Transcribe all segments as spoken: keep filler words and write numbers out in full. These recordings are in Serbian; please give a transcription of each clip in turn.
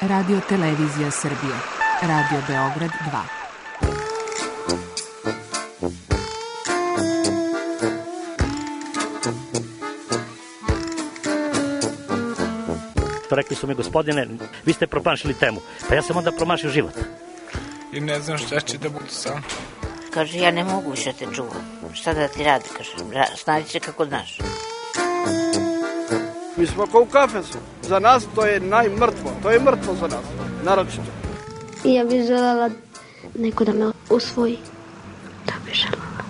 Radio Televizija Srbije, Radio Beograd dva. Rekli su mi, gospodine, vi ste promašili temu. Pa ja sam onda promašio život. I ne znam šta će da budu sam. Kaže, ja ne mogu više te čuvam. Šta da ti radi, kaže, snađi se kako znaš. Mi smo kao u kafesu. Za nas to je najmrtvo. To je mrtvo za nas, naročito. I ja bih želela neko da me usvoji. Da bih želela.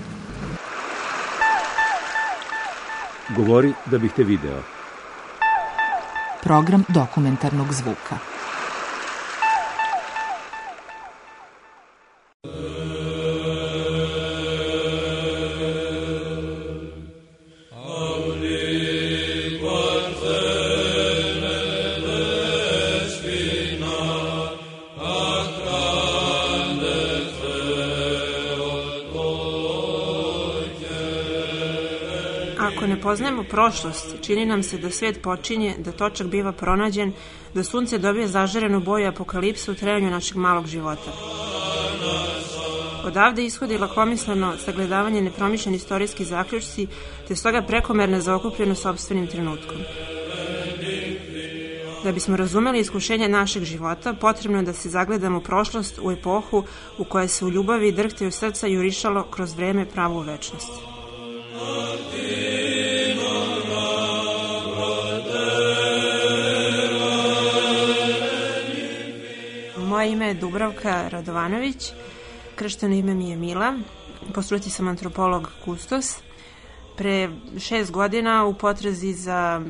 Govori da bih te video. Program dokumentarnog zvuka. Ako ne poznajemo prošlost, čini nam se da svet počinje, da točak biva pronađen, da sunce dobije zažarenu boju apokalipse u trajanju našeg malog života. Odavde ishodi lakomisleno sagledavanje nepromišljeni istorijski zaključci, te stoga prekomerna zaokupljenost sopstvenim trenutkom. Da bismo razumeli iskušenje našeg života, potrebno je da se zagledamo u prošlost, u epohu u kojoj se u ljubavi i drhtaju srca jurišalo kroz vreme pravu večnost. Moje ime je Dubravka Radovanović, kršteno ime mi je Mila, po struci sam antropolog kustos. Pre šest godina u potrazi za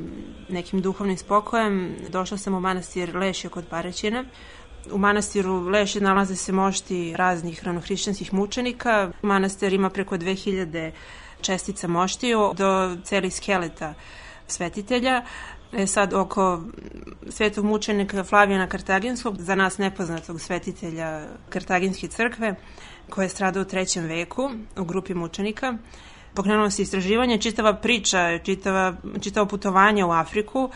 nekim duhovnim spokojem došla sam u manastir Lešje kod Paraćina. U manastiru Lešje nalaze se mošti raznih ranohrišćanskih mučenika. Manastir ima preko dve hiljade čestica moštiju do celih skeleta svetitelja. E sad, oko svetog mučenika Flavijana Kartaginskog, za nas nepoznatog svetitelja Kartaginske crkve, koji je stradao u trećem veku u grupi mučenika, pokrenulo se istraživanje, čitava priča, čitava, čitavo putovanje u Afriku,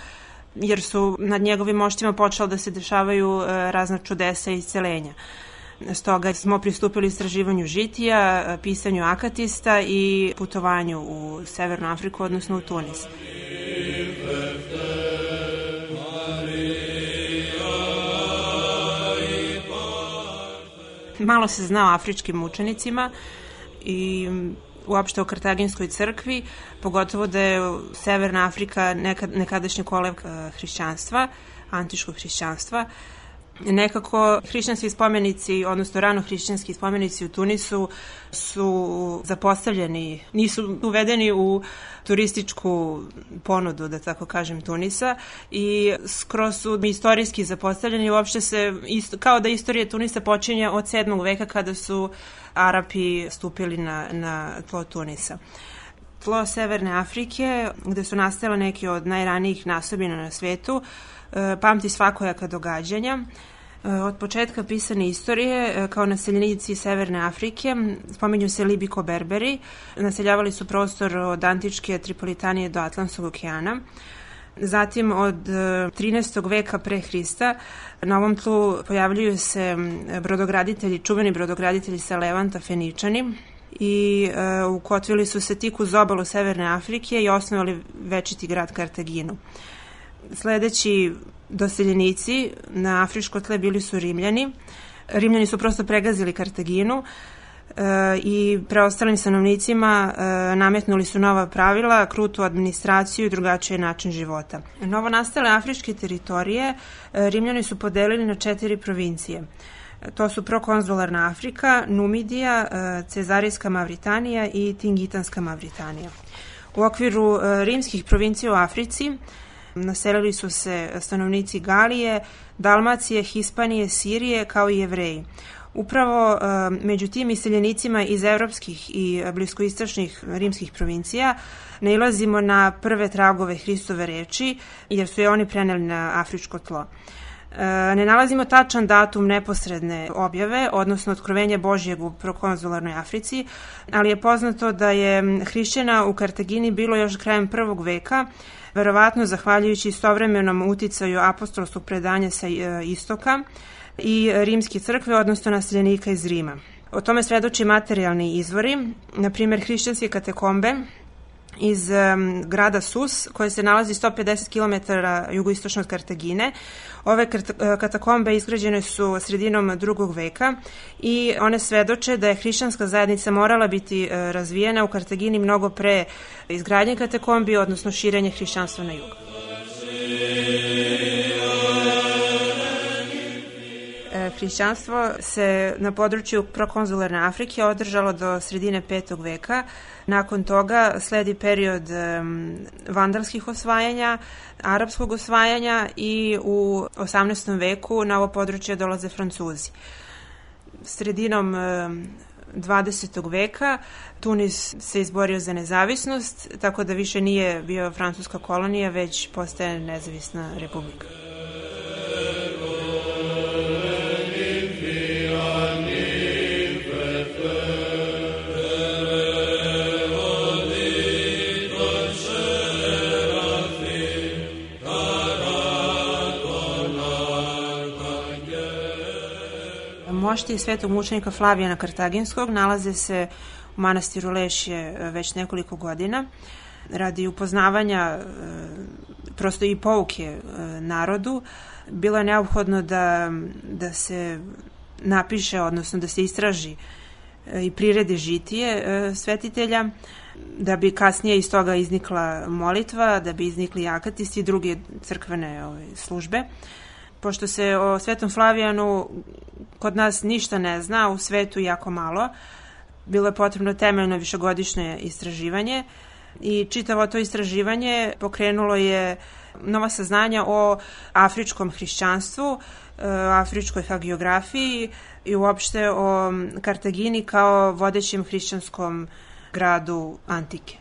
jer su nad njegovim moštima počelo da se dešavaju razna čudesa i iscelenja. Stoga smo pristupili istraživanju žitija, pisanju akatista i putovanju u Severnu Afriku, odnosno u Tunis. Malo se zna o afričkim mučenicima i uopšte o Kartaginskoj crkvi, pogotovo da je Severna Afrika nekad, nekadašnji kolevka hrišćanstva, antičkog hrišćanstva. Nekako hrišćanski spomenici, odnosno rano hrišćanski spomenici u Tunisu su zapostavljeni, nisu uvedeni u turističku ponudu, da tako kažem, Tunisa, i skroz su istorijski zapostavljeni. Uopšte se, isto, kao da istorija Tunisa počinje od sedmog veka kada su Arapi stupili na, na tlo Tunisa. Tlo Severne Afrike, gde su nastale neke od najranijih nasobina na svetu, pamti svakojaka događanja. Od početka pisane istorije, kao naseljenici Severne Afrike, spominju se Libiko-Berberi, naseljavali su prostor od antičke Tripolitanije do Atlantskog okeana. Zatim od trinaestog veka pre Hrista na ovom tlu pojavljuju se brodograditelji, čuveni brodograditelji sa Levanta, Feničani, i e, ukotvili su se tik uz obalu Severne Afrike i osnovali večiti grad Kartaginu. Sledeći doseljenici na afričko tle bili su Rimljani. Rimljani su prosto pregazili Kartaginu e, i preostalim stanovnicima e, nametnuli su nova pravila, krutu administraciju i drugačiji način života. Novo nastale afričke teritorije e, Rimljani su podelili na četiri provincije. To su prokonzularna Afrika, Numidija, Cezarijska Mavritanija i Tingitanska Mavritanija. U okviru rimskih provincija u Africi naselili su se stanovnici Galije, Dalmacije, Hispanije, Sirije, kao i Jevreji. Upravo među tim iseljenicima iz evropskih i bliskoistočnih rimskih provincija nailazimo na prve tragove Hristove reči, jer su je oni preneli na afričko tlo. Ne nalazimo tačan datum neposredne objave, odnosno otkrovenja Božjeg u prokonzularnoj Africi, ali je poznato da je hrišćana u Kartagini bilo još krajem prvog veka, verovatno zahvaljujući istovremenom uticaju apostolskog predanja sa istoka i rimske crkve, odnosno naseljenika iz Rima. O tome svedoči materijalni izvori, na primjer hrišćanske katakombe iz um, grada Sus, koje se nalazi sto pedeset kilometara jugoistočno od Kartagine. Ove katakombe izgrađene su sredinom drugog veka i one svedoče da je hrišćanska zajednica morala biti uh, razvijena u Kartagini mnogo pre izgradnje katakombi, odnosno širenje hrišćanstva na jug. Hrišćanstvo se na području prokonzularne Afrike održalo do sredine petog veka. Nakon toga sledi period um, vandalskih osvajanja, arapskog osvajanja i u osamnaestom veku na ovo područje dolaze Francuzi. Sredinom um, dvadesetog veka Tunis se izborio za nezavisnost, tako da više nije bio francuska kolonija, već postaje nezavisna republika. Mošti svetog mučenika Flavijana Kartaginskog nalaze se u manastiru Lešje već nekoliko godina. Radi upoznavanja prosto i pouke narodu, bilo je neophodno da, da se napiše, odnosno da se istraži i priredi žitije svetitelja, da bi kasnije iz toga iznikla molitva, da bi iznikli akatisti i druge crkvene ove, službe. Pošto se o Svetom Flavijanu kod nas ništa ne zna, u svetu jako malo, bilo je potrebno temeljno višegodišnje istraživanje i čitavo to istraživanje pokrenulo je nova saznanja o afričkom hrišćanstvu, afričkoj hagiografiji i uopšte o Kartagini kao vodećem hrišćanskom gradu antike.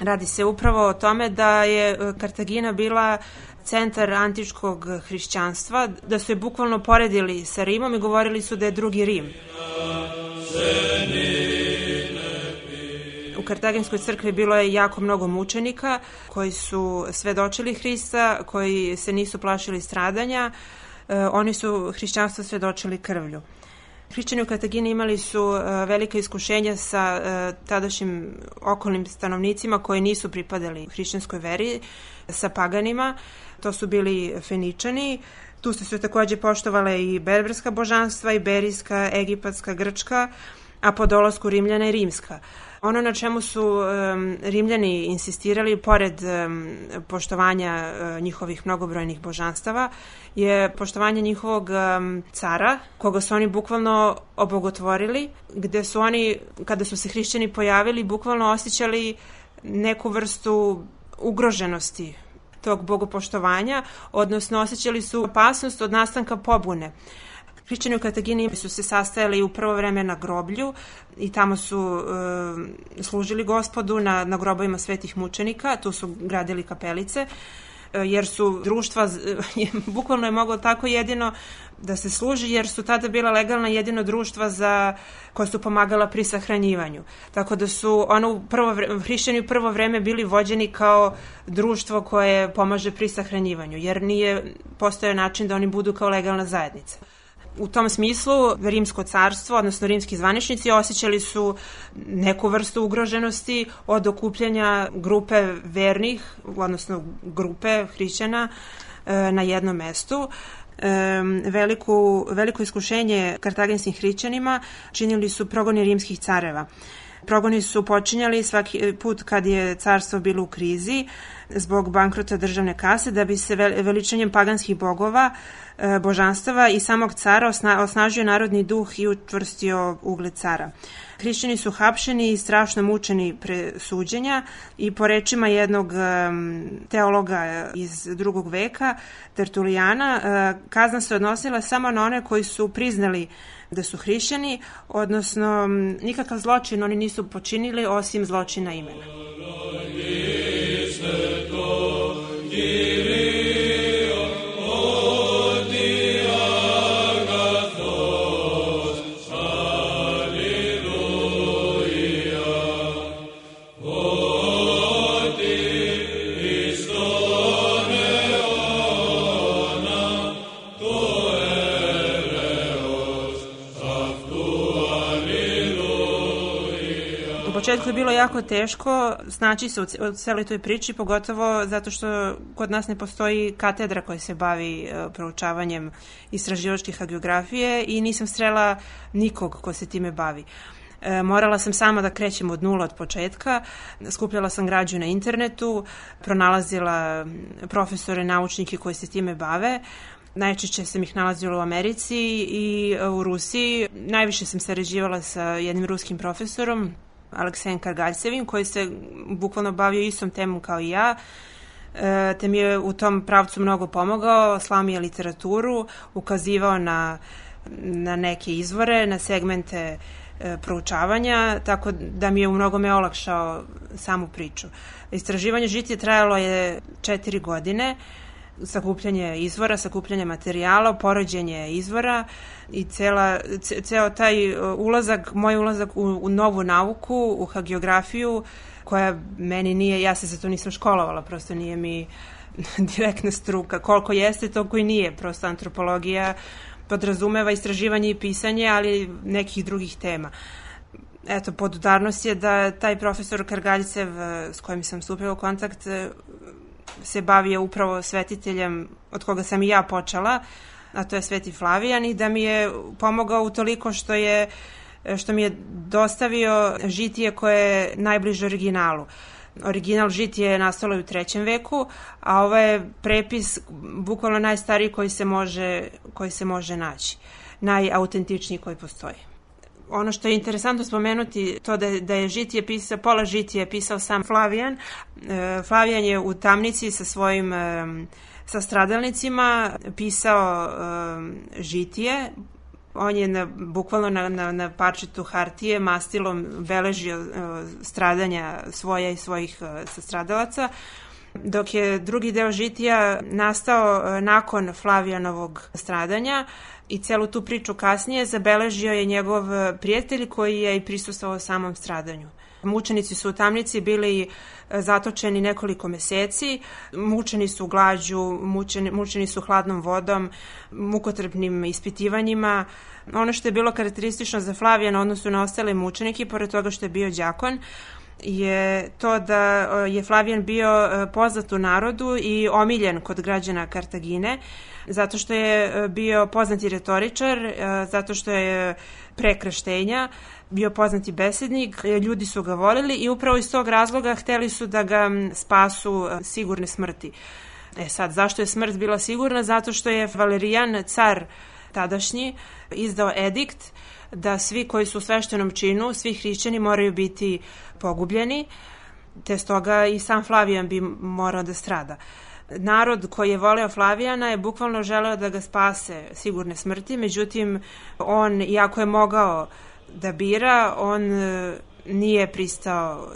Radi se upravo o tome da je Kartagina bila centar antičkog hrišćanstva, da su je bukvalno poredili sa Rimom i govorili su da je drugi Rim. U Kartaginskoj crkvi bilo je jako mnogo mučenika koji su svedočili Hrista, koji se nisu plašili stradanja, oni su hrišćanstvo svedočili krvlju. Hrišćani u Kartagini imali su velika iskušenja sa tadašnjim okolnim stanovnicima koji nisu pripadali hrišćanskoj veri, sa paganima. To su bili Feničani. Tu su se takođe poštovale i berberska božanstva, iberijska, egipatska, grčka, a po dolasku Rimljana i rimska. Ono na čemu su um, Rimljani insistirali, pored um, poštovanja uh, njihovih mnogobrojnih božanstava, je poštovanje njihovog um, cara, koga su oni bukvalno obogotvorili, gde su oni, kada su se hrišćani pojavili, bukvalno osjećali neku vrstu ugroženosti tog bogopoštovanja, odnosno osjećali su opasnost od nastanka pobune. Hrišćani u Kartagini su se sastajali u prvo vreme na groblju i tamo su e, služili Gospodu na, na grobovima svetih mučenika, tu su gradili kapelice, e, jer su društva, e, bukvalno je moglo tako jedino da se služi, jer su tada bila legalna jedino društva za, koja su pomagala pri sahranjivanju. Tako da su ono prvo vreme, hrišćani u prvo vreme bili vođeni kao društvo koje pomaže pri sahranjivanju, jer nije postojao način da oni budu kao legalna zajednica. U tom smislu rimsko carstvo, odnosno rimski zvaničnici, osjećali su neku vrstu ugroženosti od okupljanja grupe vernih, odnosno grupe hrišćana na jednom mestu. Veliku, veliko iskušenje kartaginskim hrišćanima činili su progoni rimskih careva. Progoni su počinjali svaki put kad je carstvo bilo u krizi zbog bankrota državne kase, da bi se veličanjem paganskih bogova, božanstava i samog cara osnažio narodni duh i učvrstio ugled cara. Hrišćani su hapšeni i strašno mučeni pre suđenja i po rečima jednog teologa iz drugog veka, Tertulijana, kazna se odnosila samo na one koji su priznali da su hrišćani, odnosno nikakav zločin oni nisu počinili osim zločina imena. Odi početku je bilo jako teško snaći se u celoj toj priči, pogotovo zato što kod nas ne postoji katedra koja se bavi proučavanjem istraživačkih hagiografije i nisam srela nikog ko se time bavi. Morala sam sama da krećem od nula od početka, skupljala sam građu na internetu, pronalazila profesore, naučnike koji se time bave. Najčešće sam ih nalazila u Americi i u Rusiji. Najviše sam sarađivala sa jednim ruskim profesorom, Aleksejem Kargaljsevim, koji se bukvalno bavio istom temom kao i ja, te mi je u tom pravcu mnogo pomogao, slao mi je literaturu, ukazivao na, na neke izvore, na segmente proučavanja, tako da mi je u mnogome olakšao samu priču. Istraživanje žitije trajalo je četiri godine, sakupljanje izvora, sakupljanje materijala, poređenje izvora i cela, ce, ceo taj ulazak, moj ulazak u, u novu nauku, u hagiografiju, koja meni nije, ja se za to nisam školovala, prosto nije mi direktna struka. Koliko jeste, toliko i nije. Prosto antropologija podrazumeva istraživanje i pisanje, ali nekih drugih tema. Eto, podudarnost je da taj profesor Kargaljsev, s kojim sam stupila u kontakt, se bavio upravo svetiteljem od koga sam i ja počela, a to je Sveti Flavijan, i da mi je pomogao utoliko što je što mi je dostavio žitije koje je najbliže originalu. Original žitije je nastalo u trećem veku, a ovo je prepis bukvalno najstariji koji se može, koji se može naći. Najautentičniji koji postoji. Ono što je interesantno spomenuti, to da je, da je žitije pisao, pola žitije pisao sam Flavijan. E, Flavijan je u tamnici sa svojim e, sa stradalnicima pisao e, žitije. On je na, bukvalno na, na, na parčetu hartije mastilom beležio e, stradanja svoja i svojih e, sastradalaca, dok je drugi deo žitija nastao e, nakon Flavijanovog stradanja i celu tu priču kasnije zabeležio je njegov prijatelj koji je i prisustvovao samom stradanju. Mučenici su u tamnici bili zatočeni nekoliko meseci, mučeni su glađu, mučeni, mučeni su hladnom vodom, mukotrpnim ispitivanjima. Ono što je bilo karakteristično za Flavijana odnosno na ostale mučenike, pored toga što je bio đakon, je to da je Flavijan bio poznat u narodu i omiljen kod građana Kartagine, zato što je bio poznati retoričar, zato što je pre krštenja bio poznati besednik, ljudi su ga volili i upravo iz tog razloga hteli su da ga spasu sigurne smrti. E sad, zašto je smrt bila sigurna? Zato što je Valerijan, car tadašnji, izdao edikt da svi koji su u sveštenom činu, svi hrišćani moraju biti pogubljeni, te stoga i sam Flavijan bi morao da strada. Narod koji je voleo Flavijana je bukvalno želeo da ga spase sigurne smrti, međutim on, iako je mogao da bira, on nije pristao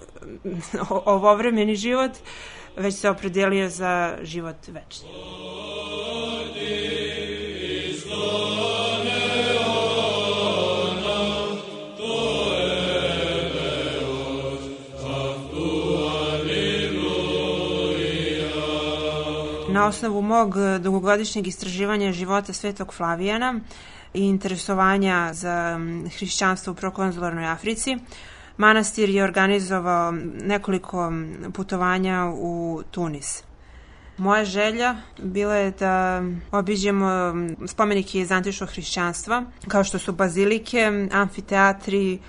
ovovremeni život, već se opredelio za život večni. Na osnovu mog dugogodišnjeg istraživanja života Svetog Flavijana i interesovanja za hrišćanstvo u prokonzularnoj Africi, manastir je organizovao nekoliko putovanja u Tunis. Moja želja bila je da obiđemo spomenike iz antičkog hrišćanstva, kao što su bazilike, amfiteatri,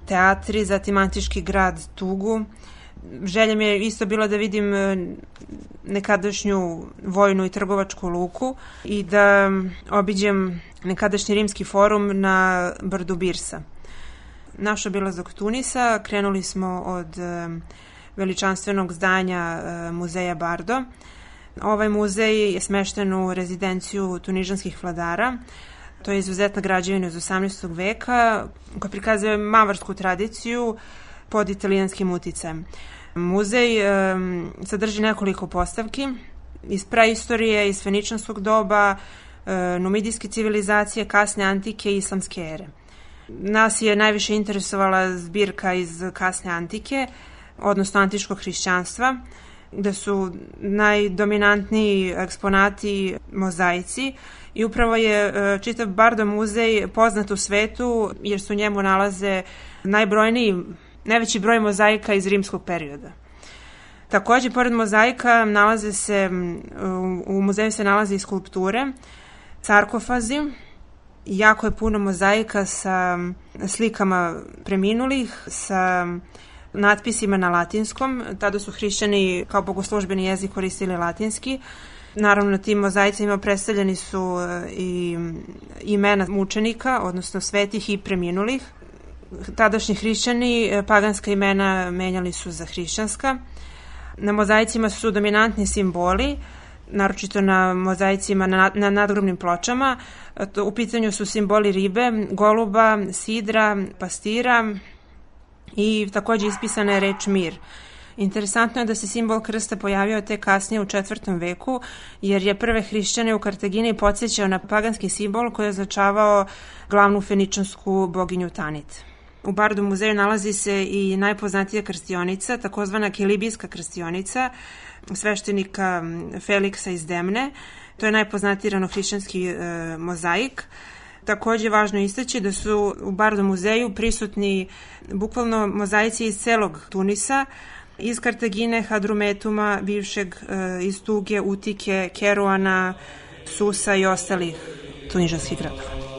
teatri, zatim antički grad Tugu. Želja mi je isto bila da vidim nekadašnju vojnu i trgovačku luku i da obiđem nekadašnji rimski forum na brdu Birsa. Naš obilazak Tunisa krenuli smo od veličanstvenog zdanja muzeja Bardo. Ovaj muzej je smešten u rezidenciju tunižanskih vladara. To je izuzetna građevina iz osamnaestog veka koja prikazuje mavarsku tradiciju pod italijanskim uticajem. Muzej e, sadrži nekoliko postavki iz praistorije, iz feničanskog doba, e, numidijske civilizacije, kasne antike i islamske ere. Nas je najviše interesovala zbirka iz kasne antike, odnosno antičkog hrišćanstva, gde su najdominantniji eksponati mozaici i upravo je e, čitav Bardo muzej poznat u svetu jer su u njemu nalaze najbrojniji najveći broj mozaika iz rimskog perioda. Takođe, pored mozaika, nalaze se, u muzeju se nalaze i skulpture, sarkofazi, jako je puno mozaika sa slikama preminulih, sa natpisima na latinskom. Tada su hrišćani kao bogoslužbeni jezik koristili latinski. Naravno, na tim mozaicima predstavljeni su i imena mučenika, odnosno svetih i preminulih. Tadašnji hrišćani paganska imena menjali su za hrišćanska. Na mozaicima su dominantni simboli, naročito na mozaicima na, na nadgrobnim pločama. U pitanju su simboli ribe, goluba, sidra, pastira i takođe ispisana je reč mir. Interesantno je da se simbol krsta pojavio tek kasnije u četvrtom veku, jer je prve hrišćane u Kartagini podsjećao na paganski simbol koji je označavao glavnu feničansku boginju Tanit. U Bardu muzeju nalazi se i najpoznatija krstionica, takozvana kilibijska krstionica, sveštenika Feliksa iz Demne. To je najpoznatiji ranohrišćanski e, mozaik. Takođe je važno istaći da su u Bardu muzeju prisutni bukvalno mozaici iz celog Tunisa, iz Kartagine, Hadrumetuma, bivšeg e, iz Tuge, Utike, Keruana, Susa i ostalih tunižanskih gradova.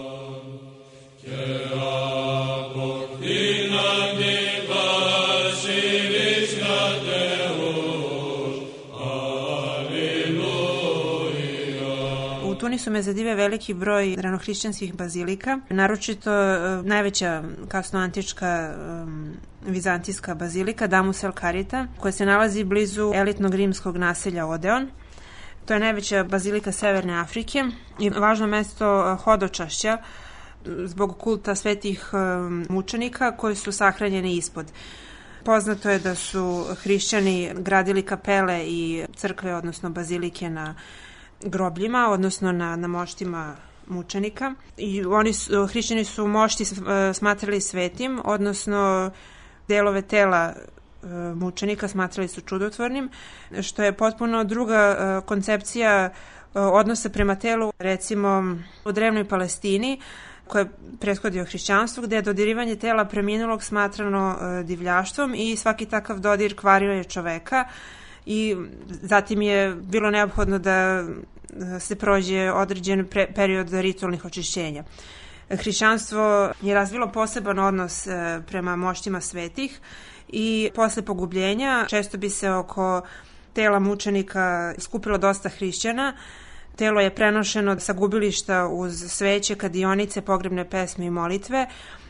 U Tunisu me zadive veliki broj ranohrišćanskih bazilika, naročito najveća kasnoantička um, vizantijska bazilika Damus el Karita, koja se nalazi blizu elitnog rimskog naselja Odeon. To je najveća bazilika Severne Afrike i važno mesto hodočašća zbog kulta svetih um, mučenika koji su sahranjeni ispod. Poznato je da su hrišćani gradili kapele i crkve, odnosno bazilike na grobljima, odnosno na, na moštima mučenika. I oni su, hrišćani su mošti smatrali svetim, odnosno delove tela mučenika smatrali su čudotvornim, što je potpuno druga koncepcija odnosa prema telu, recimo u drevnoj Palestini, koja je prethodio hrišćanstvu, gde je dodirivanje tela preminulog smatrano divljaštvom i svaki takav dodir kvario je čoveka i zatim je bilo neophodno da se prođe određen period ritualnih očišćenja. Hrišćanstvo je razvilo poseban odnos prema moštima svetih i posle pogubljenja često bi se oko tela mučenika skupilo dosta hrišćana. Telo je prenošeno sa gubilišta uz sveće, kadionice, pogrebne pesme i molitve.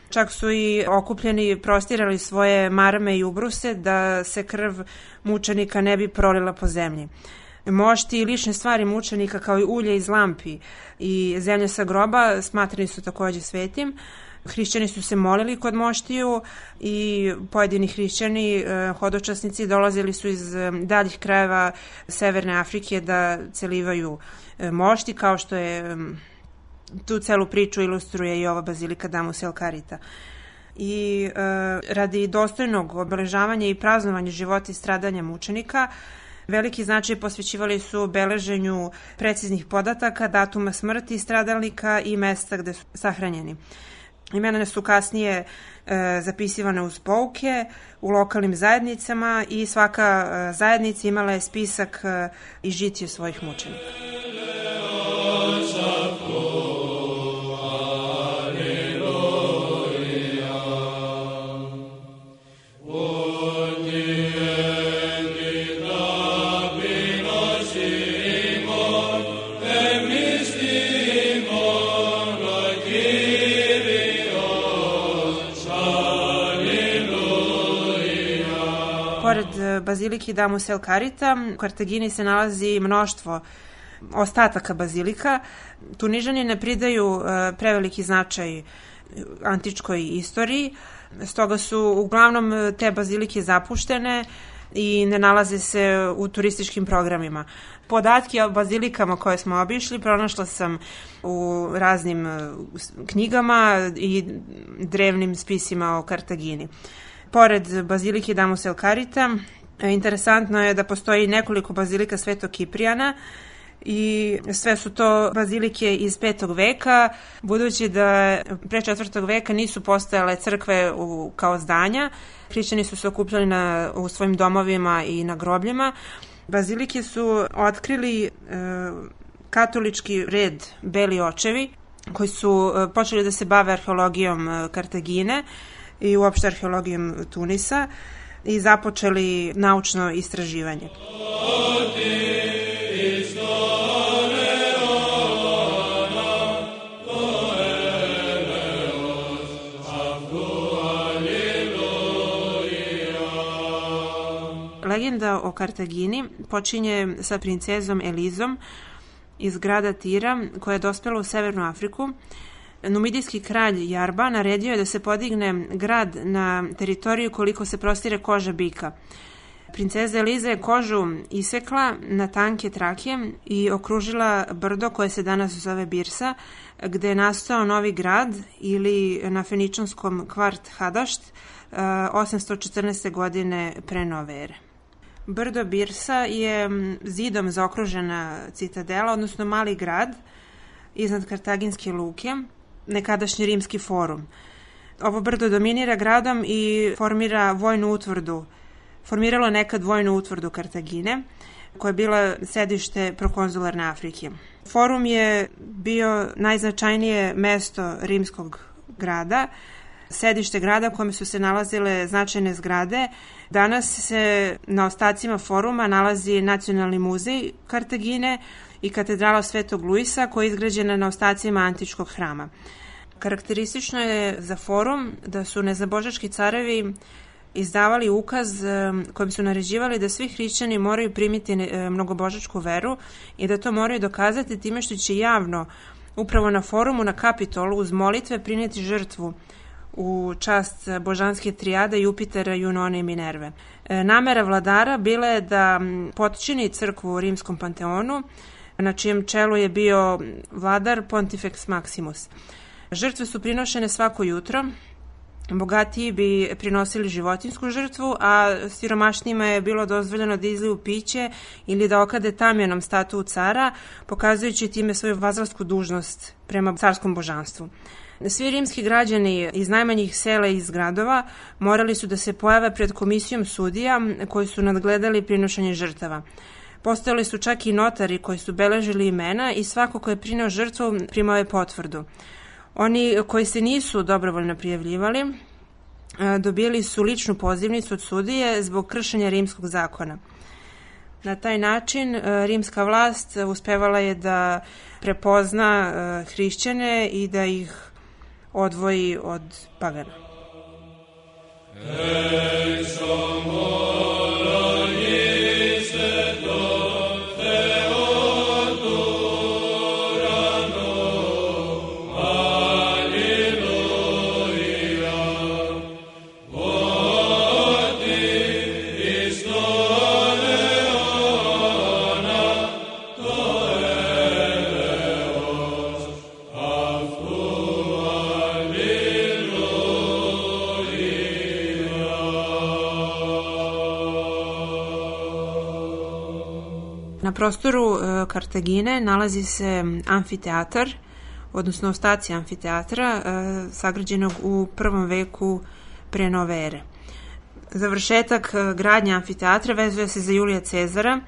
Čak su i okupljeni prostirali svoje marame i ubruse da se krv mučenika ne bi prolila po zemlji. Mošti i lične stvari mučenika kao i ulje iz lampi i zemlja sa groba smatrani su takođe svetim. Hrišćani su se molili kod moštiju i pojedini hrišćani, hodočasnici, dolazili su iz daljih krajeva Severne Afrike da celivaju mošti, kao što je tu celu priču ilustruje i ova bazilika Damus el Karita. I e, radi dostojnog obeležavanja i praznovanja života i stradanja mučenika, veliki značaj posvećivali su beleženju preciznih podataka, datuma smrti stradalnika i mesta gde su sahranjeni. Imena su kasnije e, zapisivane uz pouke u lokalnim zajednicama i svaka e, zajednica imala je spisak e, i žitije svojih mučenika. Pored bazilike Damus el Karita, u Kartagini se nalazi mnoštvo ostataka bazilika. Tunižani ne pridaju preveliki značaj antičkoj istoriji, stoga su uglavnom te bazilike zapuštene i ne nalaze se u turističkim programima. Podatke o bazilikama koje smo obišli pronašla sam u raznim knjigama i drevnim spisima o Kartagini. Pored bazilike Damus el Karita, interesantno je da postoji nekoliko bazilika Svetog Kiprijana i sve su to bazilike iz petog veka, budući da pre četvrtog veka nisu postojale crkve u, kao zdanja. Hrišćani su se okupljali na, u svojim domovima i na grobljima. Bazilike su otkrili e, katolički red Beli očevi, koji su e, počeli da se bave arheologijom e, Kartagine i uopšte arheologijom Tunisa i započeli naučno istraživanje. Legenda o Kartagini počinje sa princezom Elizom iz grada Tira, koja je dospela u Severnu Afriku. Numidijski kralj Jarba naredio je da se podigne grad na teritoriju koliko se prostire koža bika. Princeza Eliza je kožu isekla na tanke trake i okružila brdo koje se danas zove Birsa, gde je nastao novi grad ili na feničanskom kvart Hadašt osamsto četrnaeste. godine pre nove ere. Brdo Birsa je zidom zaokružena citadela, odnosno mali grad iznad Kartaginske luke, nekadašnji rimski forum. Ovo brdo dominira gradom i formira vojnu utvrdu. Formiralo nekad vojnu utvrdu Kartagine, koja je bila sedište prokonzularne Afrike. Forum je bio najznačajnije mesto rimskog grada, sedište grada u kome su se nalazile značajne zgrade. Danas se na ostacima foruma nalazi Nacionalni muzej Kartagine i katedrala Svetog Luisa, koja je izgrađena na ostacima antičkog hrama. Karakteristično je za forum da su nezabožački carevi izdavali ukaz kojim su naređivali da svi hrišćani moraju primiti mnogobožačku veru i da to moraju dokazati time što će javno upravo na forumu na Kapitolu uz molitve prineti žrtvu u čast božanske trijade Jupitera, Junone i Minerve. Namera vladara bila je da potčini crkvu u rimskom panteonu, na čijem čelu je bio vladar Pontifex Maximus. Žrtve su prinošene svako jutro, bogatiji bi prinosili životinsku žrtvu, a siromašnijima je bilo dozvoljeno da izliju piće ili da okade tamjanom statu cara, pokazujući time svoju vazalsku dužnost prema carskom božanstvu. Svi rimski građani iz najmanjih sela i iz gradova morali su da se pojave pred komisijom sudija koji su nadgledali prinošenje žrtava. Postojali su čak i notari koji su beležili imena i svako ko je prineo žrtvu primao je potvrdu. Oni koji se nisu dobrovoljno prijavljivali dobili su ličnu pozivnicu od sudije zbog kršenja rimskog zakona. Na taj način rimska vlast uspevala je da prepozna hrišćane i da ih odvoji od pagana. Na prostoru e, Kartagine nalazi se amfiteatar, odnosno ostaci amfiteatra, e, sagrađenog u prvom veku pre nove ere. Završetak e, gradnje amfiteatra vezuje se za Julija Cezara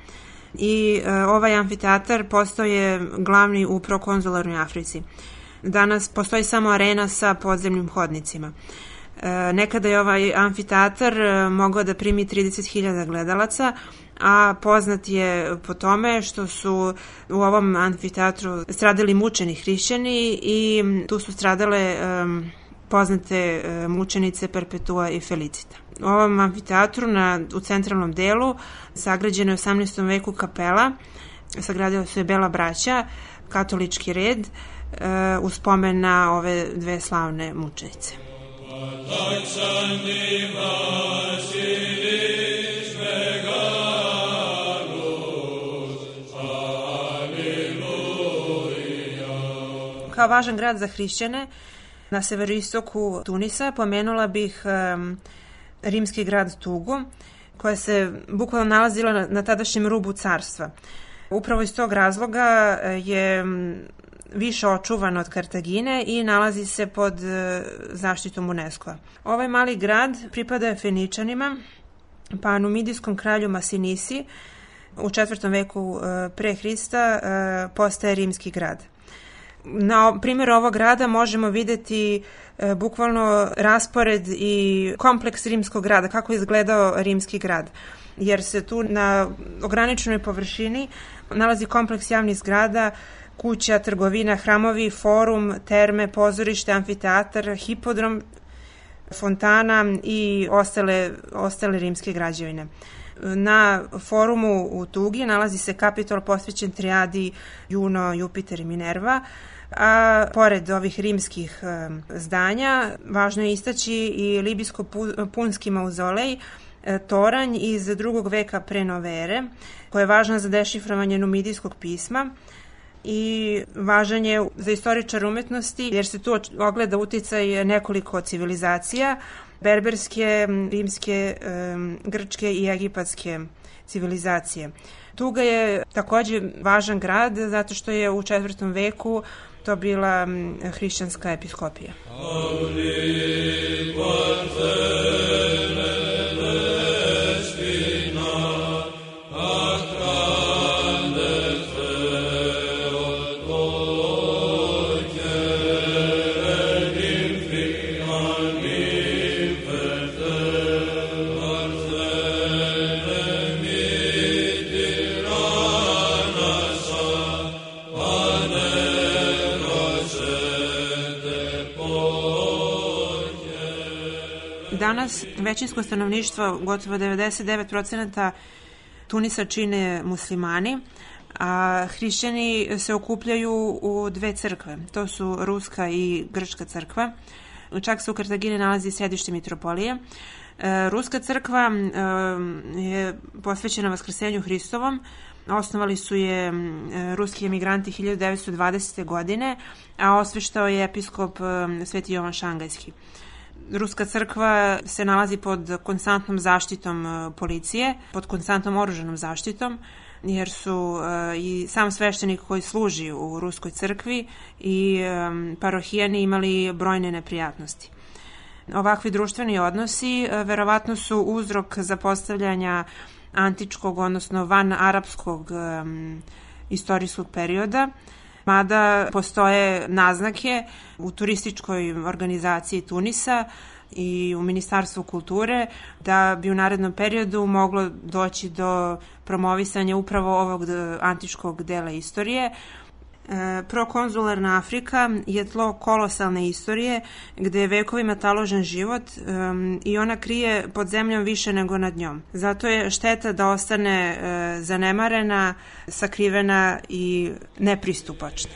i e, ovaj amfiteatar postao je glavni u prokonzularnoj Africi. Danas postoji samo arena sa podzemnim hodnicima. E, nekada je ovaj amfiteatar e, mogao da primi trideset hiljada gledalaca, a poznat je po tome što su u ovom amfiteatru stradali mučeni hrišćani i tu su stradale um, poznate um, mučenice Perpetua i Felicita. U ovom amfiteatru na, u centralnom delu sagrađena je u osamnaestom veku kapela, sagradila su je Bela braća, katolički red, uh, u spomen na ove dve slavne mučenice. Kao važan grad za hrišćane na severoistoku Tunisa pomenula bih um, rimski grad Tugu, koja se bukvalno nalazila na, na tadašnjem rubu carstva. Upravo iz tog razloga je više očuvan od Kartagine i nalazi se pod zaštitom UNESCO-a. Ovaj mali grad pripada Feničanima, pa numidijskom kralju Masinisi u četvrtom veku pre Hrista postaje rimski grad. Na primjeru ovog grada možemo vidjeti e, bukvalno raspored i kompleks rimskog grada, kako je izgledao rimski grad. Jer se tu na ograničenoj površini nalazi kompleks javnih zgrada, kuća, trgovina, hramovi, forum, terme, pozorište, amfiteatar, hipodrom, fontana i ostale, ostale rimske građevine. Na forumu u Tugi nalazi se Kapitol posvećen trijadi Juno, Jupiter i Minerva, a pored ovih rimskih zdanja važno je istaći i libijsko-punski mauzolej, toranj iz drugog veka pre nove ere, koja je važna za dešifrovanje numidijskog pisma i važan je za istoričar umetnosti jer se tu ogleda uticaj nekoliko civilizacija, berberske, rimske, grčke i egipatske civilizacije. Tuga je takođe važan grad zato što je u četvrtom veku to bila hrišćanska episkopija. Danas većinsko stanovništvo, gotovo devedeset devet posto Tunisa čine muslimani, a hrišćani se okupljaju u dve crkve. To su ruska i grčka crkva. Čak se u Kartagini nalazi sedište mitropolije. Ruska crkva je posvećena Vaskrsenju Hristovom. Osnovali su je ruski emigranti hiljadu devetsto dvadesete. godine, a osveštao je episkop Sveti Jovan Šangajski. Ruska crkva se nalazi pod konstantnom zaštitom policije, pod konstantnom oružanom zaštitom, jer su i sam sveštenik koji služi u ruskoj crkvi i parohijani imali brojne neprijatnosti. Ovakvi društveni odnosi verovatno su uzrok zapostavljanja antičkog, odnosno van arapskog istorijskog perioda, mada postoje naznake u turističkoj organizaciji Tunisa i u Ministarstvu kulture da bi u narednom periodu moglo doći do promovisanja upravo ovog antičkog dela istorije. Prokonzularna Afrika je tlo kolosalne istorije gde je vekovima taložen život um, i ona krije pod zemljom više nego nad njom. Zato je šteta da ostane uh, zanemarena, sakrivena i nepristupačna.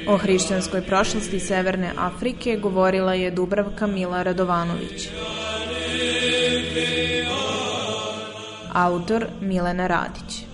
O hrišćanskoj prošlosti Severne Afrike govorila je Dubravka Mila Radovanović. Autor Milena Radić.